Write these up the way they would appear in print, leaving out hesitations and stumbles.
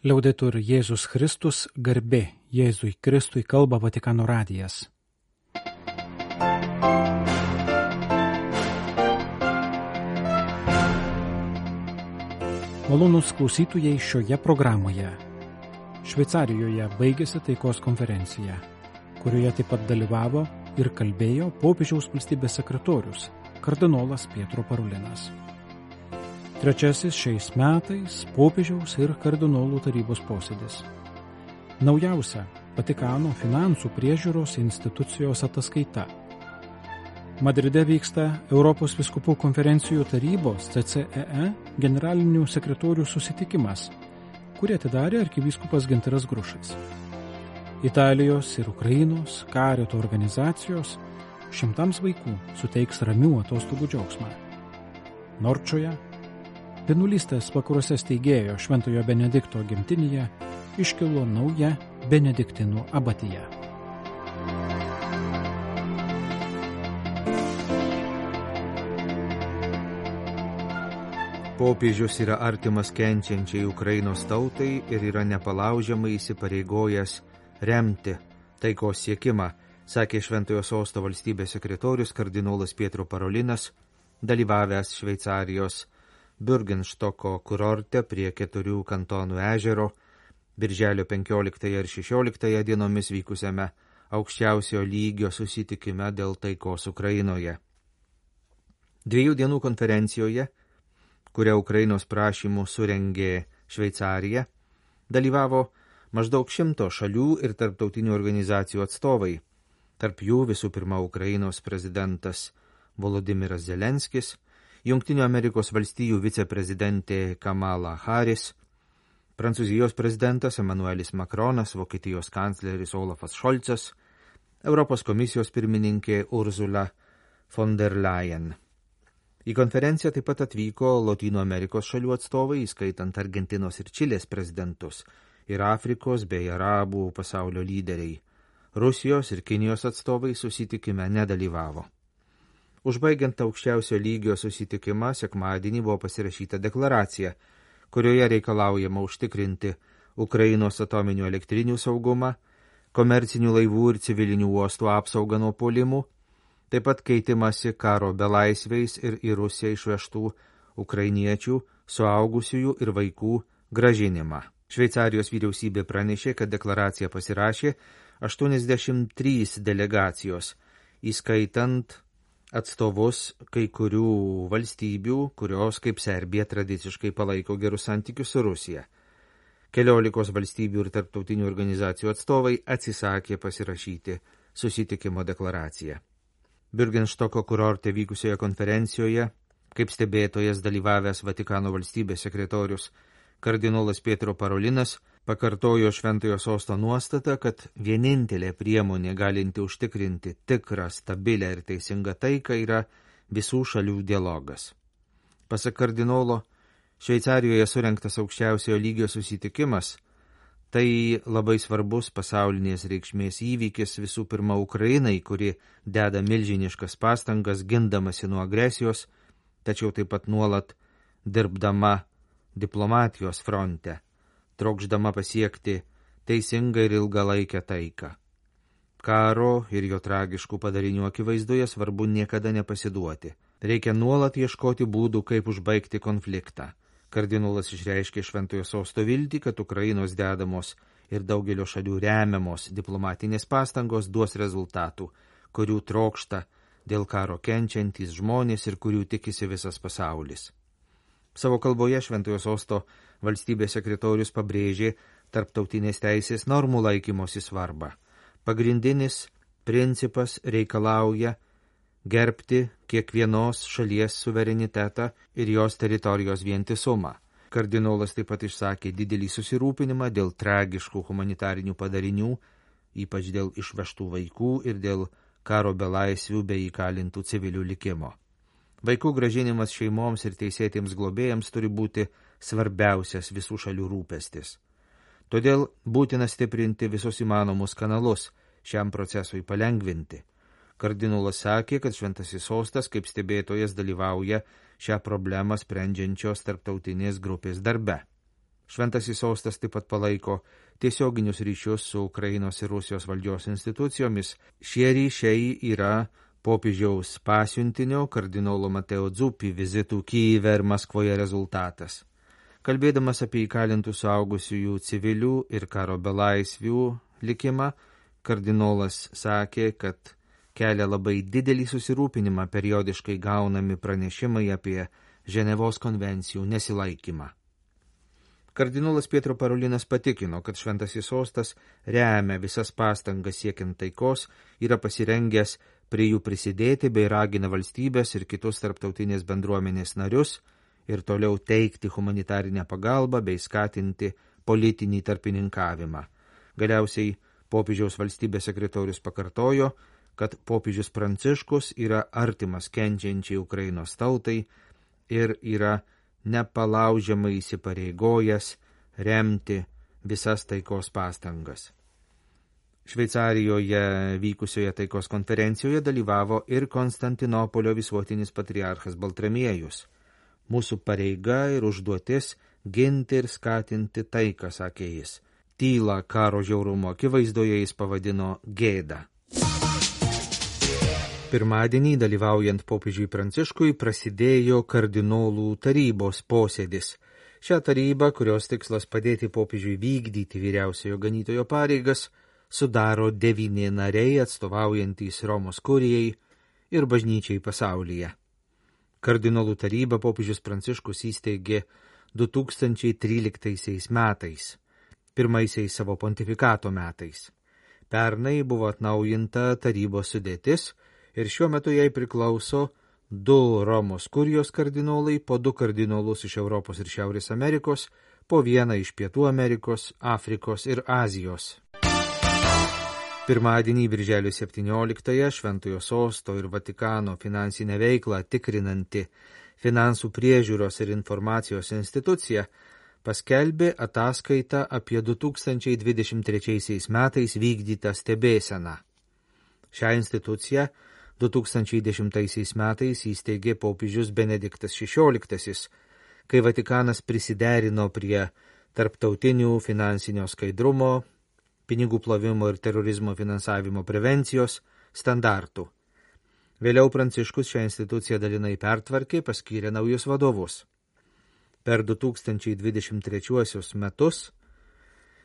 Liaudetur Jėzus Kristus, garbė Jėzui Kristui, kalba Vatikano radijas. Malonūs klausytojai, šioje programoje Šveicarijoje baigėsi taikos konferencija, kurioje taip pat dalyvavo ir kalbėjo popiežiaus valstybės sekretorius kardinolas Pietro Parolinas. Trečiasis šiais metais popiežiaus ir kardinolų tarybos posėdis. Naujausia Vatikano finansų priežiūros institucijos ataskaita. Madride vyksta Europos vyskupų konferencijų tarybos CCEE generalinių sekretorių susitikimas, kurį atidarė arkivyskupas Gintaras Grušas. Italijos ir Ukrainos karito organizacijos šimtams vaikų suteiks ramių atostogų džiaugsmą. Norčoje, vienuolystės vakaruose steigėjo Šventojo Benedikto gimtinėje, iškilo nauja Benediktinų abatija. Popiežius yra artimas kenčiančiai Ukrainos tautai ir yra nepalaužiamai įsipareigojęs remti taikos siekimą, sakė Šventojo Sosto valstybės sekretorius kardinolas Pietro Parolinas, dalyvavęs Šveicarijos Bürgenstoko kurorte prie 4 kantonų ežero, birželio 15 ir 16 dienomis vykusiame aukščiausio lygio susitikime dėl taikos Ukrainoje. 2 dienų konferencijoje, kurią Ukrainos prašymų surengė Šveicarija, dalyvavo maždaug 100 šalių ir tarptautinių organizacijų atstovai. Tarp jų visų pirma Ukrainos prezidentas Volodimiras Zelenskis, Jungtinių Amerikos valstijų viceprezidentė Kamala Harris, Prancūzijos prezidentas Emmanuelis Macronas, Vokietijos kancleris Olafas Šolcas, Europos komisijos pirmininkė Ursula von der Leyen. Į konferenciją taip pat atvyko Lotynų Amerikos šalių atstovai, įskaitant Argentinos ir Čilės prezidentus, ir Afrikos bei Arabų pasaulio lyderiai. Rusijos ir Kinijos atstovai susitikime nedalyvavo. Užbaigiant aukščiausio lygio susitikimą, sekmadienį buvo pasirašyta deklaracija, kurioje reikalaujama užtikrinti Ukrainos atominių elektrinių saugumą, komercinių laivų ir civilinių uostų apsaugą nuo puolimų, taip pat keitimasi karo belaisviais ir į Rusiją išvežtų ukrainiečių, suaugusiųjų ir vaikų gražinimą. Šveicarijos vyriausybė pranešė, kad deklaraciją pasirašė 83 delegacijos, įskaitant atstovus kai kurių valstybių, kurios, kaip Serbija, tradiciškai palaiko gerus santykius su Rusija. 14 valstybių ir tarptautinių organizacijų atstovai atsisakė pasirašyti susitikimo deklaraciją. Bürgenstoko kurorte vykusioje konferencijoje, kaip stebėtojas dalyvavęs Vatikano valstybės sekretorius kardinolas Pietro Parolinas, pakartojo Šventojo Sosto nuostatą, kad vienintelė priemonė galinti užtikrinti tikrą, stabilę ir teisingą taiką yra visų šalių dialogas. Pasak kardinolo, Šveicarijoje surengtas aukščiausiojo lygio susitikimas tai labai svarbus pasaulinės reikšmės įvykis visų pirma Ukrainai, kuri deda milžiniškas pastangas gindamasi nuo agresijos, tačiau taip pat nuolat dirbdama diplomatijos fronte, trokšdama pasiekti teisingą ir ilgalaikę taiką. Karo ir jo tragiškų padarinių akivaizdoje svarbu niekada nepasiduoti. Reikia nuolat ieškoti būdų, kaip užbaigti konfliktą. Kardinolas išreiškė Šventojo Sosto viltį, kad Ukrainos dedamos ir daugelio šalių remiamos diplomatinės pastangos duos rezultatų, kurių trokšta dėl karo kenčiantys žmonės ir kurių tikisi visas pasaulis. Savo kalboje Šventojo Sosto valstybės sekretorius pabrėžė tarptautinės teisės normų laikymosi svarbą. Pagrindinis principas reikalauja gerbti kiekvienos šalies suverenitetą ir jos teritorijos vientisumą. Kardinolas taip pat išsakė didelį susirūpinimą dėl tragiškų humanitarinių padarinių, ypač dėl išvežtų vaikų ir dėl karo belaisvių bei įkalintų civilių likimo. Vaikų gražinimas šeimoms ir teisėtiems globėjams turi būti svarbiausias visų šalių rūpestis. Todėl būtina stiprinti visus įmanomus kanalus šiam procesui palengvinti. Kardinolas sakė, kad Šventasis Sostas kaip stebėtojas dalyvauja šią problemą sprendžiančios tarptautinės grupės darbe. Šventasis sostas taip pat palaiko tiesioginius ryšius su Ukrainos ir Rusijos valdžios institucijomis. Šie ryšiai yra popiežiaus pasiuntinio kardinolo Mateo Zuppi vizitų Kyjive ir Maskvoje rezultatas. Kalbėdamas apie įkalintų suaugusiųjų civilių ir karo belaisvių likimą, kardinolas sakė, kad kelia labai didelį susirūpinimą periodiškai gaunami pranešimai apie Ženevos konvencijų nesilaikymą. Kardinolas Pietro Parolinas patikino, kad Šventasis sostas remia visas pastangas siekiant taikos, yra pasirengęs prie jų prisidėti bei ragina valstybės ir kitus tarptautinės bendruomenės narius ir toliau teikti humanitarinę pagalbą bei skatinti politinį tarpininkavimą. Galiausiai popiežiaus valstybės sekretorius pakartojo, kad popiežius Pranciškus yra artimas kenčiančiai Ukrainos tautai ir yra nepalaužiamai įsipareigojęs remti visas taikos pastangas. Šveicarijoje vykusioje taikos konferencijoje dalyvavo ir Konstantinopolio visuotinis patriarchas Baltramiejus. Mūsų pareiga ir užduotis ginti ir skatinti taiką, sakė jis. Tylą karo žiaurumo akivaizdoje jis pavadino gėda. Pirmadienį, dalyvaujant popiežiui Pranciškui, prasidėjo kardinolų tarybos posėdis. Šią tarybą, kurios tikslas padėti popiežiui vykdyti vyriausiojo ganytojo pareigas, sudaro 9 nariai atstovaujantys Romos kurijai ir bažnyčiai pasaulyje. Kardinolų tarybą popiežius Pranciškus įsteigė 2013 metais, pirmaisiais savo pontifikato metais. Pernai buvo atnaujinta tarybos sudėtis ir šiuo metu jai priklauso 2 Romos kurijos kardinolai, po 2 kardinolus iš Europos ir Šiaurės Amerikos, po 1 iš Pietų Amerikos, Afrikos ir Azijos. Pirmadienį birželio 17-ąją Šventojo sosto ir Vatikano finansinę veiklą tikrinanti Finansų priežiūros ir informacijos institucija paskelbė ataskaitą apie 2023 metais vykdytą stebėseną. Šią instituciją 2010 metais įsteigė popiežius Benediktas XVI, kai Vatikanas prisiderino prie tarptautinių finansinio skaidrumo, pinigų plovimo ir terorizmo finansavimo prevencijos standartų. Vėliau Pranciškus šią instituciją dalinai pertvarkė, paskyrė naujus vadovus. Per 2023 metus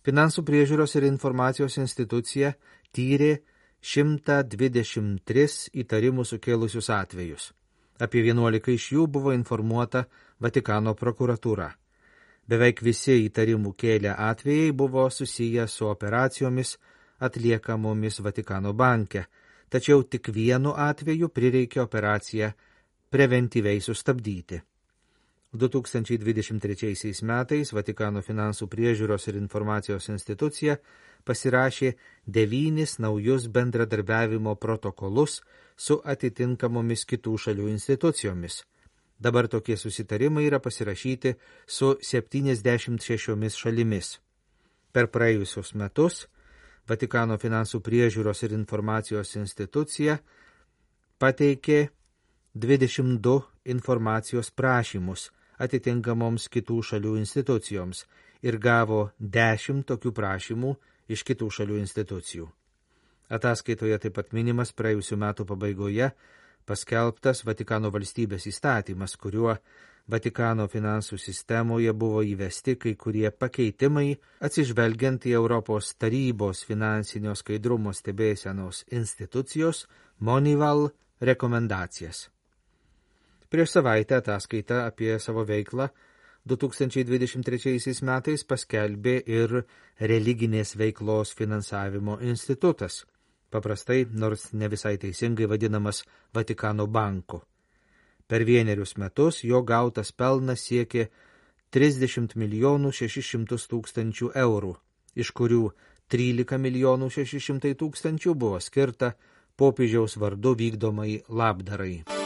Finansų priežiūros ir informacijos institucija tyrė 123 įtarimų sukėlusius atvejus. Apie 11 iš jų buvo informuota Vatikano prokuratūra. Beveik visi įtarimų kėlę atvejai buvo susiję su operacijomis atliekamomis Vatikano banke, tačiau tik vienu atveju prireikė operaciją preventyviai sustabdyti. 2023 metais Vatikano finansų priežiūros ir informacijos institucija pasirašė 9 naujus bendradarbiavimo protokolus su atitinkamomis kitų šalių institucijomis. Dabar tokie susitarimai yra pasirašyti su 76 šalimis. Per praėjusius metus Vatikano finansų priežiūros ir informacijos institucija pateikė 22 informacijos prašymus atitinkamoms kitų šalių institucijoms ir gavo 10 tokių prašymų iš kitų šalių institucijų. Ataskaitoje taip pat minimas praėjusių metų pabaigoje paskelbtas Vatikano valstybės įstatymas, kuriuo Vatikano finansų sistemoje buvo įvesti kai kurie pakeitimai atsižvelgiant į Europos tarybos finansinio skaidrumo stebėsenos institucijos Monival rekomendacijas. Prieš savaitę ataskaitą apie savo veiklą 2023 metais paskelbė ir religinės veiklos finansavimo institutas, paprastai, nors ne visai teisingai vadinamas Vatikano banku. Per 1 metus jo gautas pelnas siekė 30 600 000 eurų, iš kurių 13 600 000 buvo skirta popiežiaus vardu vykdomai labdarai.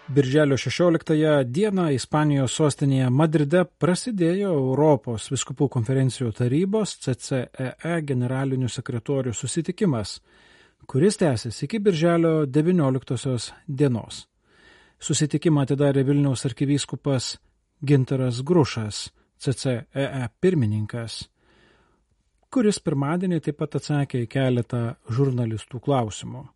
Birželio 16 dieną Ispanijos sostinėje Madride prasidėjo Europos vyskupų konferencijų tarybos CCEE generalinių sekretorių susitikimas, kuris tęsis iki birželio 19 dienos. Susitikimą atidarė Vilniaus arkivyskupas Gintaras Grušas, CCEE pirmininkas, kuris pirmadienį taip pat atsakė į keletą žurnalistų klausimų.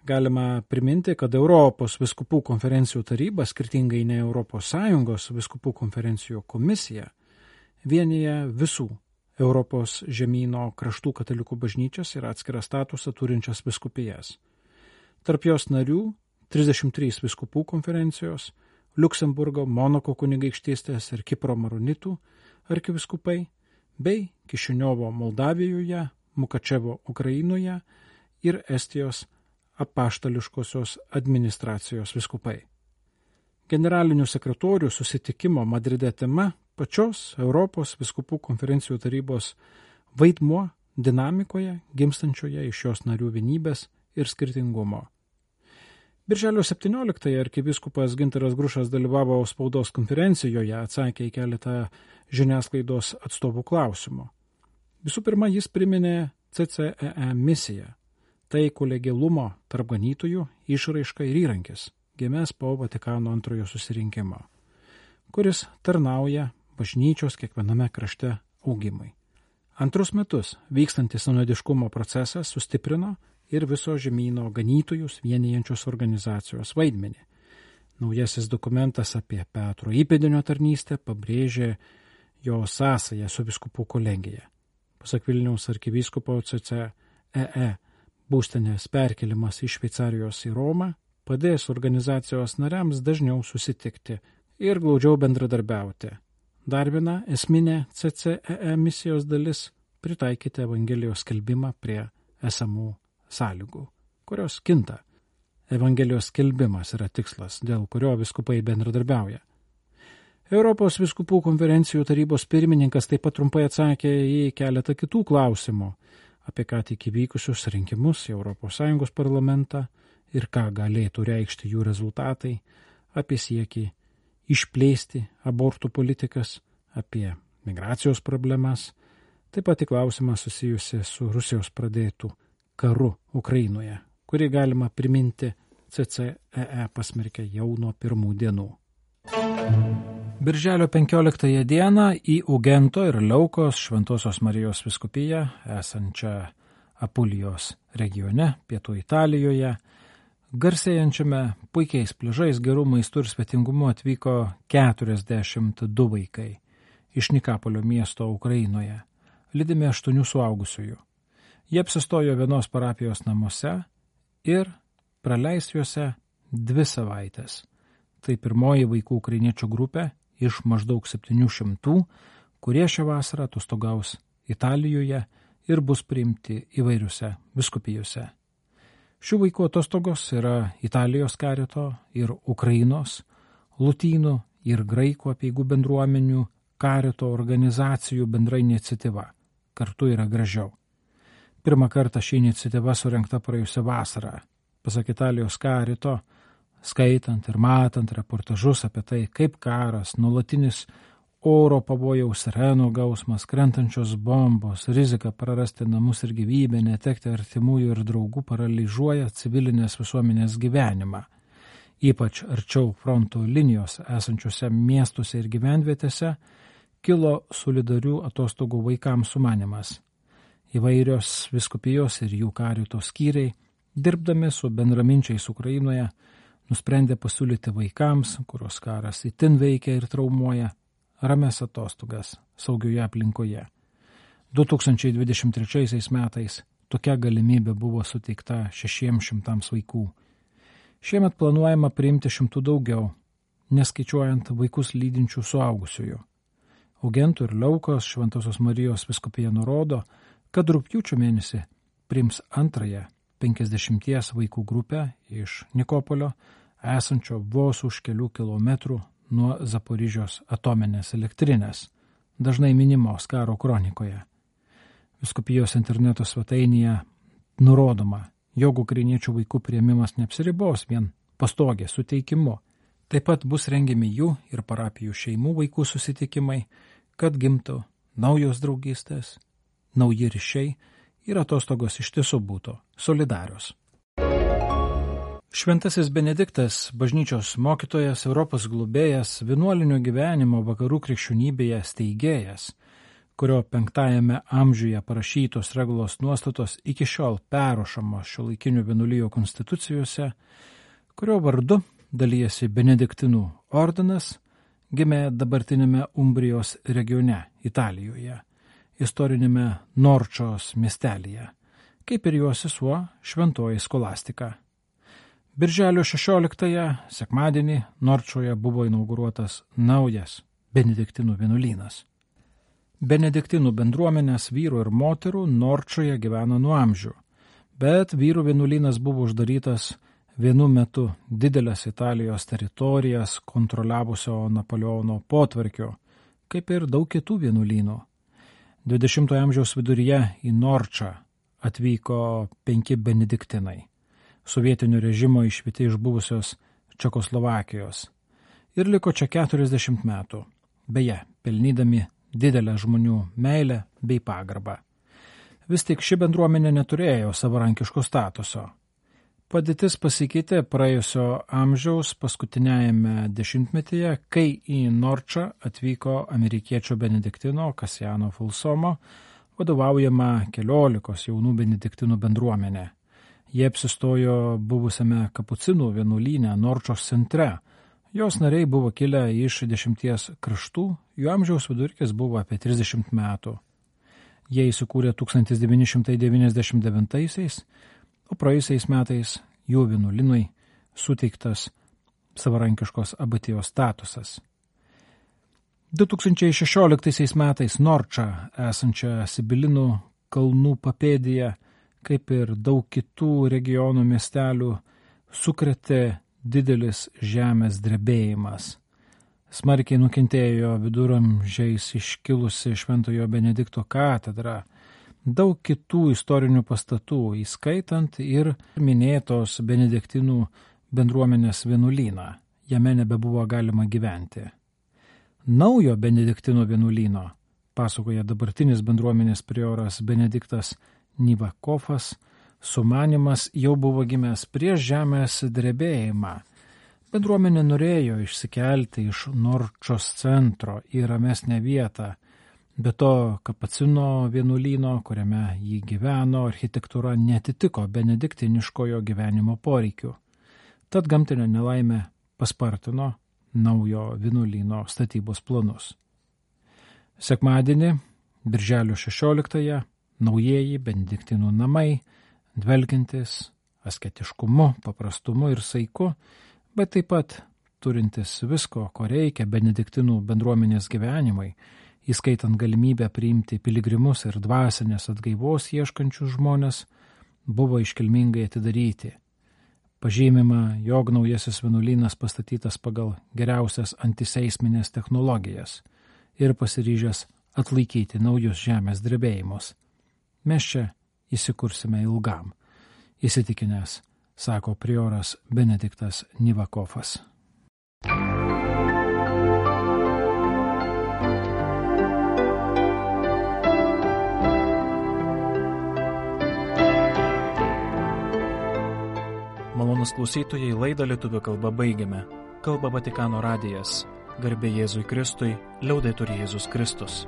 Galima priminti, kad Europos vyskupų konferencijų taryba, skirtingai nei ES vyskupų konferencijų komisija, vienyje visų Europos žemyno kraštų katalikų bažnyčias ir atskirą statusą turinčias vyskupijas. Tarp jos narių 33 vyskupų konferencijos, Liuksemburgo, Monako kunigaikštystės ir Kipro maronitų arkivyskupai, bei Kišiniovo Moldavijoje, Mukačevo Ukrainoje ir Estijos apaštališkosios administracijos vyskupai. Generalinių sekretorių susitikimo Madride tema pačios Europos vyskupų konferencijų tarybos vaidmuo dinamikoje gimstančioje iš jos narių vienybės ir skirtingumo. Birželio 17 arkivyskupas Gintaras Grušas dalyvavo spaudos konferencijoje, atsakė į keletą žiniasklaidos atstovų klausimų. Visų pirma, jis priminė CCEE misiją. Tai kolegialumo tarp ganytojų išraiška ir įrankis, gimęs po Vatikano antrojo susirinkimo, kuris tarnauja bažnyčios kiekviename krašte augimui. Antrus metus vykstantis sinodiškumo procesas sustiprino ir viso žemyno ganytojus vienijančios organizacijos vaidmenį. Naujasis dokumentas apie Petro įpėdinio tarnystę pabrėžė jo sąsają su vyskupų kolegija. Pasak Vilniaus arkivyskupo CCEE, būstinės perkelimas iš Šveicarijos į Romą padės organizacijos nariams dažniau susitikti ir glaudžiau bendradarbiauti. Dar viena esminė CCEE misijos dalis – pritaikyti Evangelijos skelbimą prie esamų sąlygų, kurios kinta. Evangelijos skelbimas yra tikslas, dėl kurio vyskupai bendradarbiauja. Europos vyskupų konferencijų tarybos pirmininkas taip pat trumpai atsakė į keletą kitų klausimų apie ką tik įvykusius rinkimus į ES parlamentą ir ką galėtų reikšti jų rezultatai, apie siekį išplėsti abortų politikas, apie migracijos problemas, taip pat į klausimą susijusi su Rusijos pradėtų karu Ukrainoje, kurį galima priminti CCEE pasmerkė jau nuo pirmų dienų. Birželio 15 dieną į Ugento ir Leukos Šventosios Marijos vyskupiją, esančią Apulijos regione, pietų Italijoje, garsėjančiame puikiais pliažais, gerų maistų ir svetingumu atvyko 42 vaikai iš Nikapolio miesto Ukrainoje, lydimi 8 suaugusiųjų. Jie apsistojo vienos parapijos namuose ir praleis juose 2 savaitės. Tai pirmoji vaikų ukrainiečių grupė iš maždaug 700, kurie šią vasarą atostogaus Italijoje ir bus priimti įvairiuose vyskupijose. Šių vaikų atostogos yra Italijos karito ir Ukrainos, lotynų ir graikų apeigų bendruomenių karito organizacijų bendra iniciatyva. Kartu yra gražiau. Pirmą kartą ši iniciatyva surengta praėjusią vasarą. Pasak Italijos karito, skaitant ir matant reportažus apie tai, kaip karas, nuolatinis oro pavojaus sirenų gausmas, krentančios bombos, rizika prarasti namus ir gyvybę, netekti artimųjų ir draugų paralyžiuoja civilinės visuomenės gyvenimą. Ypač arčiau fronto linijos esančiuose miestuose ir gyvenvietėse kilo solidarių atostogų vaikams sumanymas. Įvairios vyskupijos ir jų karito skyriai, dirbdami su bendraminčiais Ukrainoje, nusprendė pasiūlyti vaikams, kurios karas itin veikia ir traumuoja, ramias atostogas saugioje aplinkoje. 2023 metais tokia galimybė buvo suteikta 600 vaikų. Šiemet planuojama priimti 100 daugiau, neskaičiuojant vaikus lydinčių suaugusiųjų. Ugento ir Leukos Šventosios Marijos vyskupija nurodo, kad rugpjūčio mėnesį priims antrąją 50 vaikų grupę iš Nikopolio, esančio vos už kelių kilometrų nuo Zaporižios atominės elektrinės, dažnai minimos karo kronikoje. Vyskupijos interneto svetainėje nurodoma, jog ukrainiečių vaikų priėmimas neapsiribos vien pastogės suteikimu. Taip pat bus rengiami jų ir parapijų šeimų vaikų susitikimai, kad gimtų naujos draugystės, nauji ryšiai ir atostogos iš tiesų būtų solidarios. Šventasis Benediktas, bažnyčios mokytojas, Europos globėjas, vienuolinio gyvenimo vakarų krikščionybėje steigėjas, kurio 5 amžiuje parašytos regulos nuostatos iki šiol perrašomos šiuolaikinių vienuolijų konstitucijose, kurio vardu dalyjasi Benediktinų ordinas, gimė dabartinėme Umbrijos regione, Italijoje, istorinėme Norčos miestelyje, kaip ir jo sesuo Šventoji Skolastika. Birželio 16-ąją, sekmadienį, Norčoje buvo inauguruotas naujas Benediktinų vienuolynas. Benediktinų bendruomenės vyrų ir moterų Norčoje gyveno nuo amžių, bet vyrų vienuolynas buvo uždarytas vienu metu didelės Italijos teritorijas kontroliavusio Napoleono potvarkio, kaip ir daug kitų vienuolynų. 20-ojo amžiaus viduryje į Norčą atvyko 5 benediktinai, sovietinio režimo išvyti iš buvusios Čekoslovakijos, ir liko čia 40 metų, beje, pelnydami didelę žmonių meilę bei pagarbą. Vis tik ši bendruomenė neturėjo savarankiško statuso. Padėtis pasikeitė praėjusio amžiaus paskutiniajame dešimtmetyje, kai į Norčą atvyko amerikiečio benediktino Kasijano Fulsomo vadovaujama 14 jaunų benediktinų bendruomenė. Jie apsistojo buvusiame kapucinų vienuolyne Norčos centre. Jos nariai buvo kilę iš 10 kraštų, jų amžiaus vidurkis buvo apie 30 metų. Jie įsikūrė 1999, o praėjusiais metais jų vienuolynui suteiktas savarankiškos abatijos statusas. 2016 metais Norčą esančią Sibilinų kalnų papėdėje, kaip ir daug kitų regionų miestelių, sukrėtė didelis žemės drebėjimas. Smarkiai nukentėjo viduramžiais iškilusi Šventojo Benedikto katedra, daug kitų istorinių pastatų, įskaitant ir minėtos benediktinų bendruomenės vienuolyną. Jame nebebuvo galima gyventi. Naujo benediktinų vienuolyno, pasakoja dabartinis bendruomenės prioras Benediktas Nivakovas, sumanimas jau buvo gimęs prieš žemės drebėjimą. Bendruomenė norėjo išsikelti iš Norčos centro į ramesnę vietą, be to kapacino vienuolyno, kuriame jį gyveno, architektūra netitiko benediktiniškojo gyvenimo poreikių. Tad gamtinė nelaimė paspartino naujo vienuolyno statybos planus. Sekmadienį, birželio 16-ąją, naujieji benediktinų namai, dvelkiantis asketiškumu, paprastumu ir saiku, bet taip pat turintis visko, ko reikia benediktinų bendruomenės gyvenimai, įskaitant galimybę priimti piligrimus ir dvasinės atgaivos ieškančius žmonės, buvo iškilmingai atidaryti. Pažymima, jog naujasis vienuolynas pastatytas pagal geriausias antiseisminės technologijas ir pasiryžęs atlaikyti naujus žemės drebėjimus. Mes čia įsikursime ilgam, įsitikinęs, sako prioras Benediktas Nivakovas. Malonūs klausytojai, laidą lietuvių kalba baigiame. Kalba Vatikano radijas. Garbė Jėzui Kristui, liaudetur Jėzus Kristus.